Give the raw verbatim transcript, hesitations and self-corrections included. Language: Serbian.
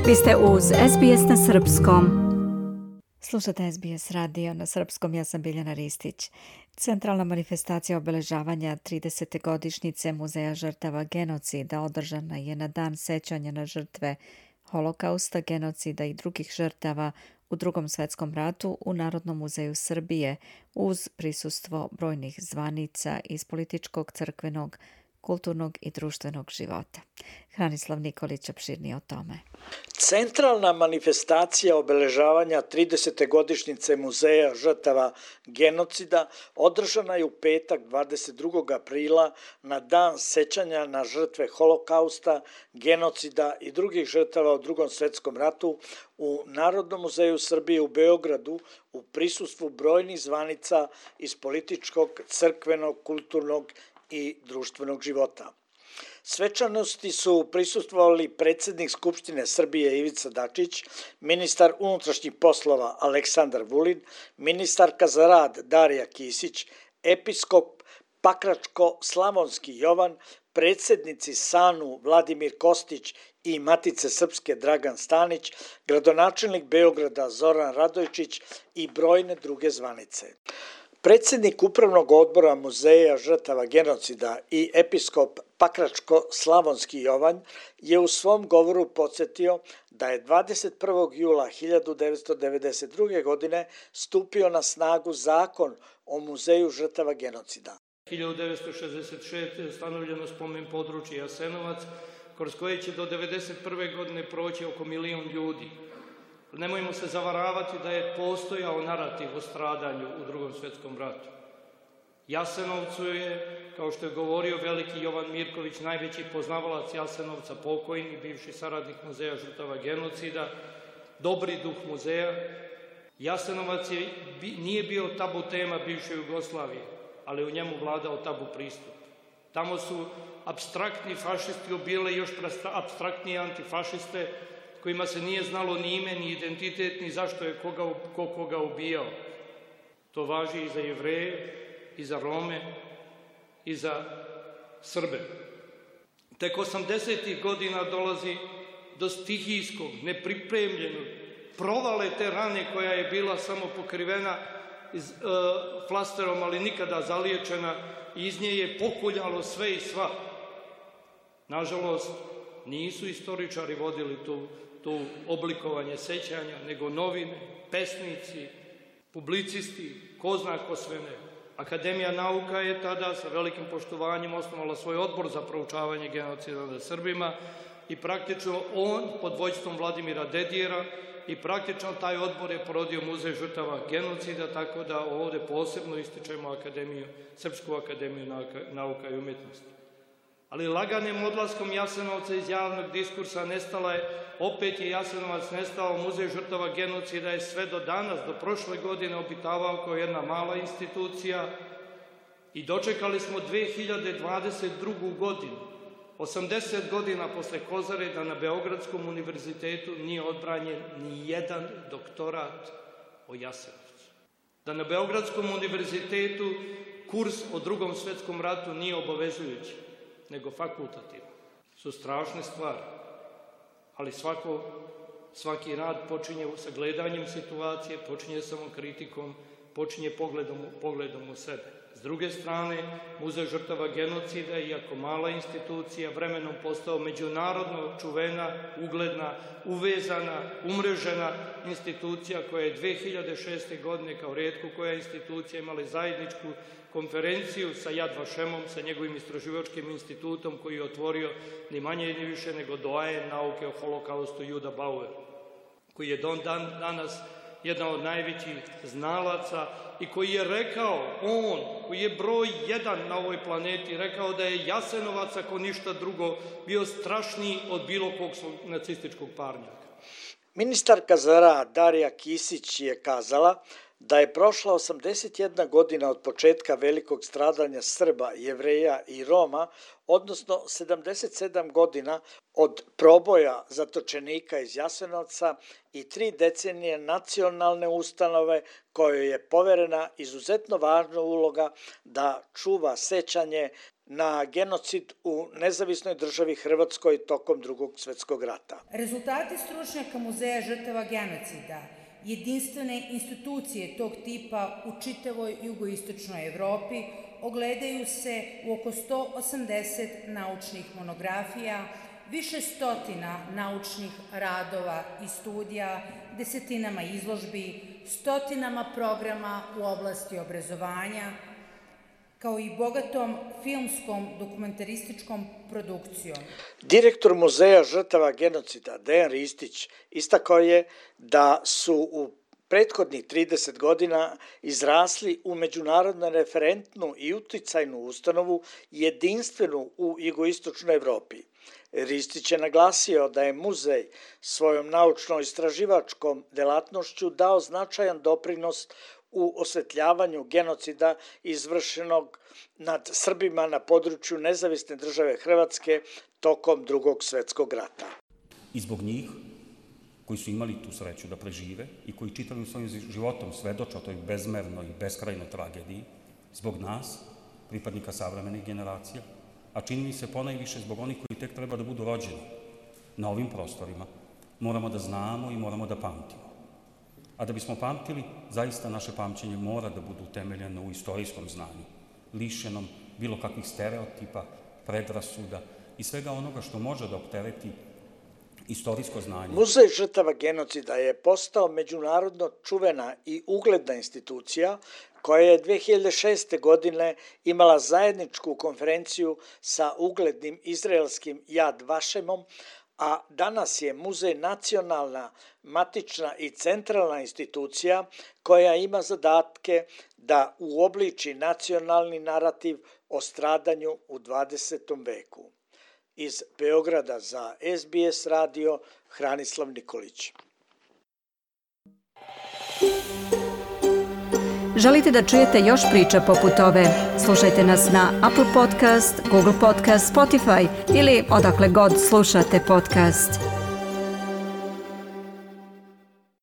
Vi ste uz S B S na srpskom. Slušate S B S radio na srpskom, ja sam Biljana Ristić. Centralna manifestacija obeležavanja tridesete godišnjice Muzeja žrtava genocida održana je na dan sećanja na žrtve Holokausta, genocida i drugih žrtava u Drugom svetskom ratu u Narodnom muzeju Srbije uz prisustvo brojnih zvanica iz političkog, crkvenog, kulturnog i društvenog života. Hranislav Nikolić opširnije o tome. Centralna manifestacija obeležavanja tridesete godišnjice Muzeja žrtava genocida održana je u petak dvadeset drugog aprila na dan sećanja na žrtve Holokausta, genocida i drugih žrtava u Drugom svetskom ratu u Narodnom muzeju Srbije u Beogradu u prisustvu brojnih zvanica iz političkog, crkvenog, kulturnog i društvenog života. Svečanosti su prisustvovali predsjednik Skupštine Srbije Ivica Dačić, ministar unutrašnjih poslova Aleksandar Vulin, ministarka za rad Darija Kisić, episkop Pakračko-Slavonski Jovan, predsjednici S A N U Vladimir Kostić i Matice Srpske Dragan Stanić, gradonačelnik Beograda Zoran Radojčić i brojne druge zvanice. Predsjednik Upravnog odbora Muzeja žrtava genocida i episkop Pakračko-Slavonski Jovan je u svom govoru podsjetio da je dvadeset prvog jula hiljadu devetsto devedeset druge. godine stupio na snagu Zakon o Muzeju žrtava genocida. hiljadu devetsto šezdeset šeste. je ustanovljeno spomen područje Jasenovac, kroz koje će do devedeset prve. godine proći oko milion ljudi. Nemojmo se zavaravati da je postojao narativ o stradanju u Drugom svjetskom ratu. Jasenovcu je, kao što je govorio veliki Jovan Mirković, najveći poznavalac Jasenovca, pokojni, bivši saradnik Muzeja žrtava genocida, dobri duh muzeja. Jasenovac je, nije bio tabu tema bivše Jugoslavije, ali u njemu vladao tabu pristup. Tamo su apstraktni fašisti ubijali još apstraktnije antifašiste, kojima se nije znalo ni ime, ni identitet, ni zašto je koga, ko koga ubijao. To važi i za Jevreje, i za Rome, i za Srbe. Tek osamdesetih godina dolazi do stihijskog, nepripremljenog, provale te rane koja je bila samo pokrivena iz, e, flasterom, ali nikada zaliječena, i iz nje je pokuljalo sve i sva. Nažalost, nisu istoričari vodili tu to oblikovanje sećanja, nego novine, pesnici, publicisti, ko zna ko sve ne. Akademija nauka je tada sa velikim poštovanjem osnovala svoj odbor za proučavanje genocida nad Srbima i praktično on, pod vođstvom Vladimira Dedijera, i praktično taj odbor je porodio Muzej žrtava genocida, tako da ovdje posebno ističemo akademiju, Srpsku akademiju nauka i umjetnosti. Ali laganim odlaskom Jasenovca iz javnog diskursa nestala je, opet je Jasenovac nestao, Muzej žrtava genocida je sve do danas, do prošle godine obitavao kao jedna mala institucija i dočekali smo dve hiljade dvadeset drugu. godinu, osamdeset godina posle Kozare, da na Beogradskom univerzitetu nije odbranjen ni jedan doktorat o Jasenovcu. Da na Beogradskom univerzitetu kurs o Drugom svjetskom ratu nije obavezujući, nego fakultativno. Su strašne stvari, ali svako, svaki rad počinje sa gledanjem situacije, počinje samo kritikom, počinje pogledom, pogledom u sebe. S druge strane, Muzej žrtava genocida, iako mala institucija, vremenom postao međunarodno čuvena, ugledna, uvezana, umrežena institucija koja je dve hiljade šeste. godine kao rijetko koja institucija imala zajedničku konferenciju sa Yad Vašemom, sa njegovim istraživačkim institutom koji je otvorio ni manje ni više nego doajen nauke o holokaustu Juda Bauer, koji je don dan, danas jedan od najvećih znalaca i koji je rekao, on, koji je broj jedan na ovoj planeti, rekao da je Jasenovac, ako ništa drugo, bio strašniji od bilo kog nacističkog parnjaka. Ministarka za rad Darija Kisić je kazala da je prošla osamdeset jedna godina od početka velikog stradanja Srba, Jevreja i Roma, odnosno sedamdeset sedam godina od proboja zatočenika iz Jasenovca i tri decenije nacionalne ustanove kojoj je poverena izuzetno važna uloga da čuva sećanje na genocid u nezavisnoj državi Hrvatskoj tokom Drugog svetskog rata. Rezultati stručnjaka Muzeja žrtava genocida, jedinstvene institucije tog tipa u čitavoj jugoistočnoj Evropi, ogledaju se u oko sto osamdeset naučnih monografija, više stotina naučnih radova i studija, desetinama izložbi, stotinama programa u oblasti obrazovanja, kao i bogatom filmskom dokumentarističkom produkcijom. Direktor Muzeja žrtava genocida Dejan Ristić istakao je da su u prethodnih trideset godina izrasli u međunarodno referentnu i uticajnu ustanovu jedinstvenu u jugoistočnoj Evropi. Ristić je naglasio da je muzej svojom naučno-istraživačkom delatnošću dao značajan doprinos u osvetljavanju genocida izvršenog nad Srbima na području nezavisne države Hrvatske tokom Drugog svetskog rata. I zbog njih, koji su imali tu sreću da prežive i koji čitavim svojim životom svedoče o toj bezmernoj i beskrajnoj tragediji, zbog nas, pripadnika savremenih generacija, a čini mi se ponajviše zbog onih koji tek treba da budu rođeni na ovim prostorima, moramo da znamo i moramo da pamtimo. A da bismo pamtili, zaista naše pamćenje mora da bude utemeljeno u istorijskom znanju, lišenom bilo kakvih stereotipa, predrasuda i svega onoga što može da optereti istorijsko znanje. Muzej žrtava genocida je postao međunarodno čuvena i ugledna institucija koja je dve hiljade šeste. godine imala zajedničku konferenciju sa uglednim izraelskim Yad Vašemom, a danas je muzej nacionalna, matična i centralna institucija koja ima zadatke da uobliči nacionalni narativ o stradanju u dvadesetom veku. Iz Beograda za S B S radio Hranislav Nikolić. Želite da čujete još priča poput ove? Slušajte nas na Apple Podcast, Google Podcast, Spotify ili odakle god slušate podcast.